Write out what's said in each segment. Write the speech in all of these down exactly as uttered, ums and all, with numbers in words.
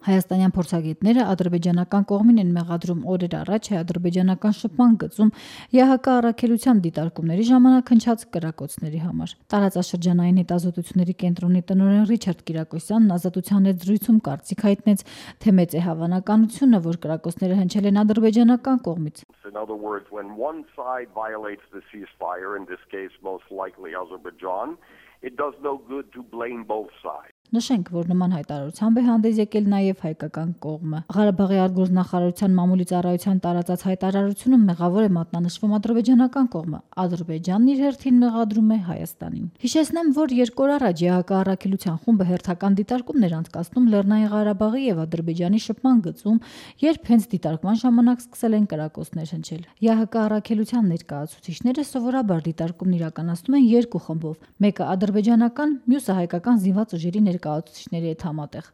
Հայաստանյան փորձագետները ադրբեջանական կողմին են մեղադրում օրեր առաջ հայ-ադրբեջանական շփման գծում ԵԱՀԿ առաքելության դիտարկումների ժամանակ հնչած կրակոցների համար։ Տարածաշրջանային հետազոտությունների կենտրոնի տնօրեն Ռիչարդ Կիրակոսյանն Ազատության հետ զրույցում կարծիք հայտնեց, թե մեծ է հավանականությունը, որ կրակոցները հնչել են ադրբեջանական կողմից։ In other words, when one side violates the ceasefire, in this case most likely Azerbaijan, it does no good to blame both sides. Նշենք, որ նման հայտարարությամբ է հանդես եկել նաև հայկական կողմը։ Ղարաբաղի արտգործնախարարության մամուլի ծառայության տարածած հայտարարությունում մեղավոր է մատնանշվում ադրբեջանական կողմը։ Ադրբեջանն իր հերթին մեղադրում է Հայաստանին։ Հիշեցնեմ, որ երկու օր առաջ ԵԱՀԿ առաքելության խումբը հերթական դիտարկումներ անցկացնում Լեռնային Ղարաբաղի եւ Ադրբեջանի շփման գծում, երբ հենց դիտարկման ժամանակ սկսել են կրակոցներ հնչել։ ԵԱՀԿ առաքելության ներկայացուցիչները սովորաբար դիտարկումն իրականացնում են երկու խմբով՝ մեկը ադրբեջանական, մյուսը հայկական զինված ուժերի ներկայացուցիչների հետ համատեղ։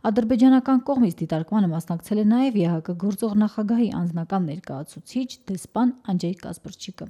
Ադրբեջանական կողմից դիտարկմանը մասնակցել է նաև ԵԱՀԿ գործող նախագահի անձնական ներկայացուցիչ դեսպան Անջեյ Կասպրչիկը։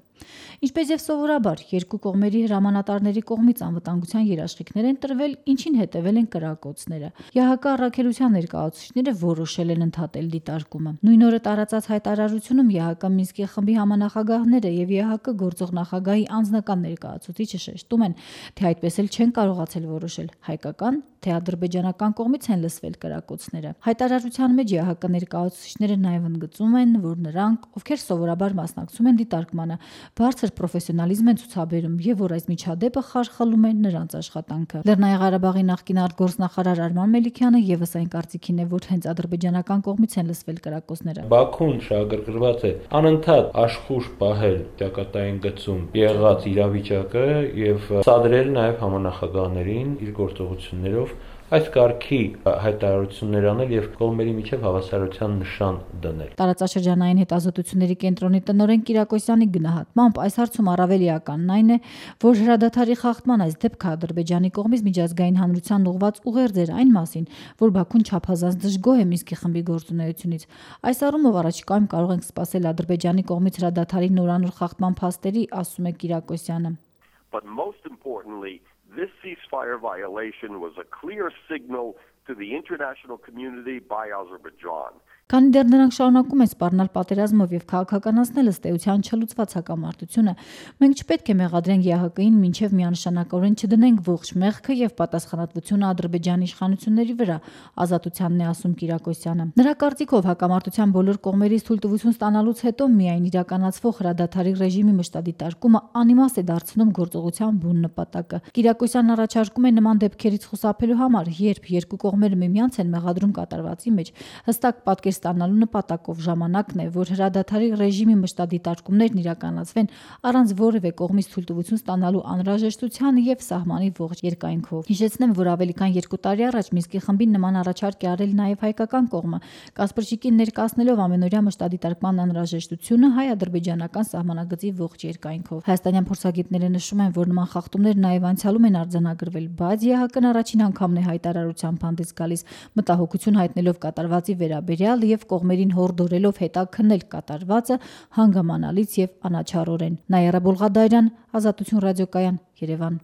Ինչպես եւ սովորաբար, երկու կողմերի հրամանատարների կողմից անվտանգության երաշխիքներ են տրվել, ինչին հետևել են կրակոցները։ ԵԱՀԿ առաքելության ներկայացուցիչները որոշել են ընդհատել դիտարկումը։ Նույն օրը տարածած հայտարարությունում ԵԱՀԿ Մինսկի խմբի համանախագահները եւ ԵԱՀԿ գործող նախագահի անձնական ներկայացուցիչը շեշտում են, թե այդպես էլ չեն կարողացել որոշել հայկական թե ադրբեջանական կողմից են լսվել կրակոցները։ Հայտարարության մեջ ԵԱՀԿ ներկայացուցիչները նաև ընդգծում են, որ նրանք, ովքեր սովորաբար մասնակցում են դիտարկմանը, բարձր պրոֆեսիոնալիզմ են ցուցաբերում եւ որ այս միջադեպը խարխլում է նրանց աշխատանքը։ Լեռնային Ղարաբաղի նախկին արտգործնախարար Արման Մելիքյանը եւս այն կարծիքին է, որ հենց ադրբեջանական կողմից են լսվել կրակոցները։ Բաքուն շահագրգռված է անընդհատ աշխուժ պահել ճակատային գծում եղած իրավիճակը եւ սադրել նաեւ համանախագահներին իր գործողություններով այս կարգի հայտարարություններ անել եւ կողմերի միջև հավասարության նշան դնել։ Տարածաշրջանային հետազոտությունների կենտրոնի տնօրեն Կիրակոսյանի գնահատմամբ այս հարցում առավել էականն այն է, որ հրադադարի խախտման այս դեպքը Ադրբեջանի կողմից միջազգային հանրության ուղղված ուղերձ էր այն մասին, որ Բաքուն չափազանց դժգոհ է Մինսկի խմբի գործունեությունից։ Այս առումով առաջիկայում կարող ենք սպասել Ադրբեջանի կողմից հրադադարի նորանոր խախտման փաստերի, ասում է Կիրակոսյանը։ But most importantly, this ceasefire violation was a clear signal to the international community by Azerbaijan. Քանի դեռ նրանք շարունակում են սպառնալ պատերազմով եւ քաղաքականացնել ըստ էության չլուծված հակամարտությունը, մենք չպետք է մեղադրենք ԵԱՀԿ-ին մինչեւ միանշանակորեն չդնենք ողջ մեղքը եւ պատասխանատվությունը Ադրբեջանի իշխանությունների վրա, ազատությանն է ասում Կիրակոսյանը։ Նրա կարծիքով հակամարտության բոլոր կողմերից թույլտվություն ստանալուց հետո միայն իրականացվող հրադադարի ռեժիմի մշտադիտարկումը անիմաստ է դարձնում գործողության բուն նպատակը։ Կիրակոսյանն առաջարկում է նման դեպքերից խուսափելու համար, երբ երկու կողմերը միմյանց են մեղադրում կատարվածի մեջ, հստակ պատկեր ստանալու նպատակով ժամանակն է, որ հրադադարի ռեժիմի մշտադիտարկումներն իրականացվեն առանց որևէ կողմից թույլտվություն ստանալու անհրաժեշտության եւ սահմանի ողջ երկայնքով։ Հիշեցնեմ, որ ավելի քան երկու տարի առաջ Մինսկի խմբին նման առաջարկ է արել նաեւ հայկական կողմը, Կասպրչիկին ներկայացնելով ամենօրյա մշտադիտարկման անհրաժեշտությունը հայ-ադրբեջանական սահմանագծի ողջ երկայնքով։ Հայաստանյան փորձագետները նշում են, որ նման խախտումներ նաեւ անցյալում են արձանագրվել, բայց ԵԱՀԿ-ն առաջին անգամն է հայտարարությամբ հանդես գալիս, մտահոգություն հայտնելով կատարվածի վերաբերյալ եւ կողմերին հորդորելով հետաքննել կատարվածը հանգամանալից եւ անաչառորեն։ Նաիրա Բոլղադարյան, Ազատություն ռադիոկայան, Երևան։